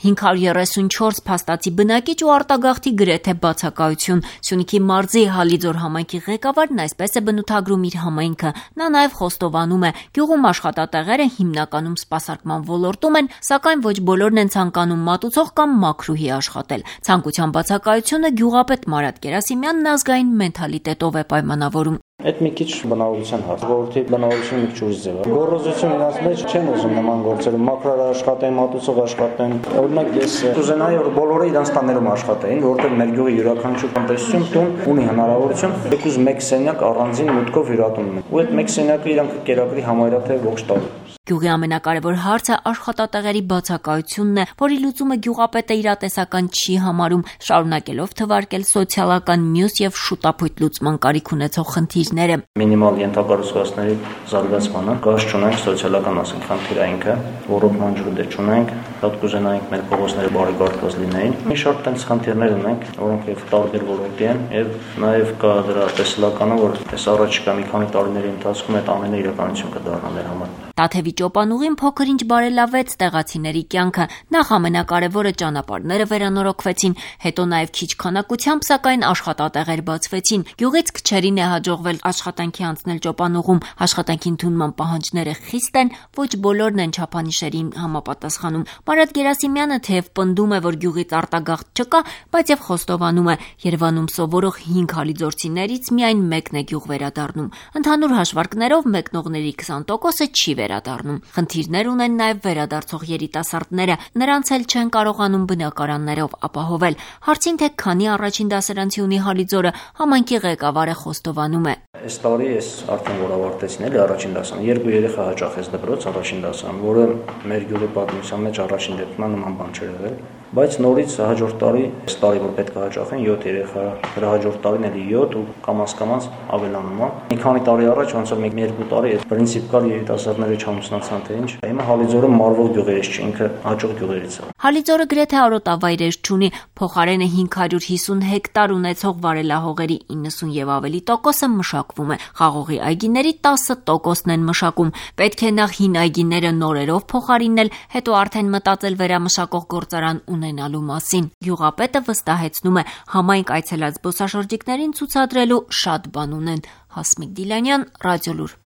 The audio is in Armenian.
534 փաստացի բնակիչ ու արտագաղթի գրեթե բացակայություն։ Սյունիքի մարզի Հալիձոր համայնքի ղեկավարն այսպես է բնութագրում իր համայնքը։ Նա նաև խոստովանում է, գյուղում աշխատատեղերը հիմնականում սպասարկման ոլորտում են, սակայն ոչ բոլորն են ցանկանում մատուցող կամ մաքրուհի աշխատել։ Ցանկության բացակայությունը գյուղապետ Մարատ Գերասիմյանն ազգային մենթալիտետով է պայմանավորում։ Այդ մի քիչ բնավորության հարց, ժողովրդի բնավորությունը մի քիչ ուրիշ ձև է։ Գոռոզություն իրաց մեջ չեն ուզում նման գործերը, մաքրար աշխատեն, մատուցող աշխատեն։ Օրինակ ես կուզենայի, որ բոլորը իրանց տաներում աշխատեին, որովհետև մեր գյուղի յուրաքանչյուր տնտեսություն տուն ունի հնարավորություն եկուզ մեկ սենյակ առանձին մուտքով հյուրատուն ունի։ Ու այդ մեկ սենյակը իրանք կերակրի համարյա թե ողջ տարի։ Գյուղի ամենակարևոր հարցը աշխատատեղերի բացակայությունն է, որի լուծումը գյուղապետը իրատեսական չի համարում, շարունակելով թվարկել սոցիալական մյուս եւ շուտապույտ լուծման կարիք ունեցող խնդիրները։ Մինիմալ ենթակառուցվածքների զարգացմանը կաշ չունենք սոցիալական ասենք խնդիրայինքը, ոռոգման ջրուդե չունենք, հատ կուզենայինք մեր փողոցները բարեկարգված լինեին։ Մի շարք տենց խնդիրներ ունենք, որոնք եւ տարբեր ոլորտի են եւ նաեւ կա դրա տեսլականը, որ այս առաջիկա մի քանի տարիների ընթացքում այդ ամենը իրականություն կդառնա մեր համար։ Տաթևի ճոպանուղին փոքր-ինչ բարելավեց տեղացիների կյանքը։ Նախ ամենակարևորը ճանապարհները վերանորոգվեցին, հետո նաև քիչ քանակությամբ, սակայն աշխատատեղեր բացվեցին։ Գյուղից քչերին է հաջողվել աշխատանքի անցնել ճոպանուղում։ Աշխատանքի ընդունման պահանջները խիստ են, ոչ բոլորն են չափանիշերին համապատասխանում։ Մարատ Գերասիմյանը թեև պնդում է, որ գյուղից արտագաղթ չկա, բայց եւ խոստովանում է, Երևանում սովորող 5 հալիձորցիներից միայն մեկն է գյուղ վերադառնում։ Ընդհանուր հաշվարկներով մեկնողների 20%-ը չի վերադառնում։ Խնդիրներ ունեն նաև վերադարձող երիտասարդները, նրանց էլ չեն կարողանում բնակարաններով ապահովել։ Հարցին թե քանի առաջին դասարանցի ունի Հալիձորը, համայնքի ղեկավարը խոստովանում է։ Այս տարի ես արդեն որ ավարտեցին էլի առաջին դասարան, 2 երեխա հաճախեց դպրոց առաջին դասարան, որը մեր գյուղի պատմության մեջ առաջին դեպքում նման բան չէր եղել, բայց նորից հաջորդ տարի, այս տարի որ պետք է հաճախեն 7 երեխա, դրա հաջորդ տարին էլի 7 ու կամաց ավելանում է։ Մի քանի տարի առաջ ոնց որ 1-2 տարի այդ պրինցիպ կար երիտասարդները չամուսնացան թե ինչ։ Հիմա Հալիձորը մարվող գյուղերից չէ, ինքը հաջող գյուղերից է։ Հալիձորը գրեթե արոտավայրեր չունի, փոխարենը 550 հեկտար ունեցող վարելահողերի 90 եւ ավելի տոկոսը մշակվում է։ Խաղողի այգիների 10%-ն են մշակում։ Պետք է նախ հին այգիները նորերով փոխարինել, հետո արդեն մտածել վերամշակող գործարան ունենալու մասին։ Գյուղապետը վստահեցնում է, համայնք այցելած զբոսաշրջիկներին ցուցադրելու շատ բան ունեն։ Հասմիկ Դիլանյան, Ռադիոլուր։